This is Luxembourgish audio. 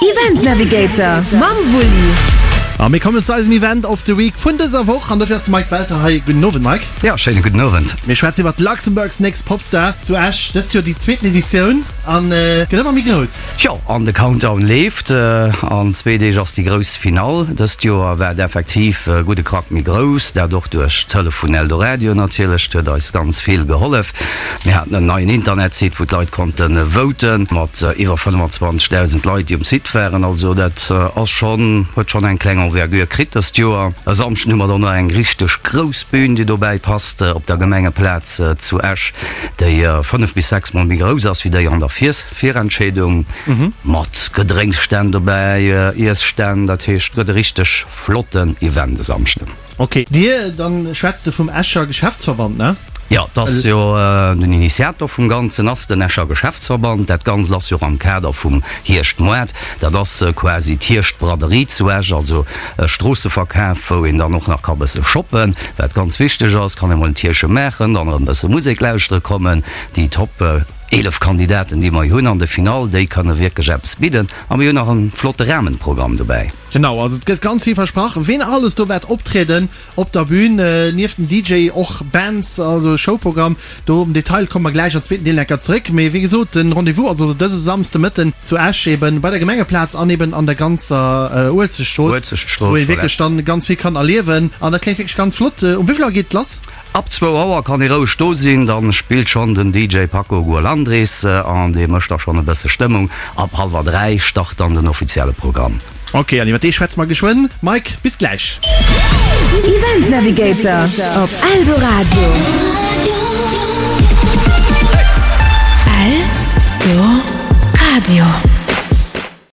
Event Navigator mam Wulli. A mir kommen zu eisem Event of the Week vun dëser Woch an dofir ass de Mike Welter hei. Gudden Owend Mike. Jo, schéine gudden Owend. Mir schwätzen iwwert Luxembourg's Next Popstar zu Esch, dëst Joer déi zweeten Editioun an gëtt ëmmer méi grouss. Jo, an de Countdown leeft. An zwee Deeg ass déi grouss Finall. Dëst Joer war et effektiv e gudde Krack méi grouss, dat och duerch d'Hëllef vun Eldoradio natierlech. Dat huet eis ganz vill gehollef. Mir haten en neien Internetsite, wou d'Leit konnte voten, mat iwwer 25.000 Leit, déi um Site waren. Also dat ass schonn, huet schonn eng kleng Envergure kritt dëst Joer. E Samschden hu mer dann nach eng richteg grouss Bün, déi dobäi passt, op der Gemengeplaz zu Esch, déi 5 bis 6 Mol méi grouss ass wéi déi an der Virentscheedung, mat Gedrénksstänn dobäi, Iesstänn. Dat heescht, et gëtt e richteg flotten Event e Samschden. Ok, Dir, dann schwätz de vum Escher Geschäftsverband, ne? Jo, et ass jo den Initiator vum Ganzen ass den Escher Geschäftsverband. Dat Ganzt ass jo och am Kader vum Hierschtmoart. Dat ass quasi d'Hierschtbraderie zu Esch, also e Stroosseverkaf, wou een dann och nach ka bësse shoppen, wat ganz wichteg ass. Kann ee mol en Tierche maachen, dann erëm bësse Musek lauschtere kommen. Déi Top 11 Kandidaten, déi mer hunn an de Finall, déi kënne wierklech eppes bidden. A mir hunn nach e flotte Rahmenprogramm dobäi. Genau, also et gëtt ganz vill versprach, ween alles do wäert optrieden op der Bühn, nieft dem DJ och Bands, also Showprogramm. Do am Detail komme mer gläich am zweeten Deel enker zeréck. Mee wéi gesot, den Rendez-vous ass also dëse Samsde Mëtten zu Esch eben bei der Gemengeplaz an eben an der ganzer Uelzechtstrooss, wou ee wierklech dann ganz vill kann erliewen. An dat kléngt wierklech ganz flott. Um wéi vill Auer geet et lass? Ab zwou Auer kann ee roueg do sinn, dann spillt schonn den DJ Paco Gualandris an dee mécht da schonn e bësse Stëmmung. Ab hallwer 3 start dann den offizielle Programm. Ok, an iwwer dee schwätze mer geschwënn. Mike, bis gläich. Event Navigator op Eldoradio. Eldoradio.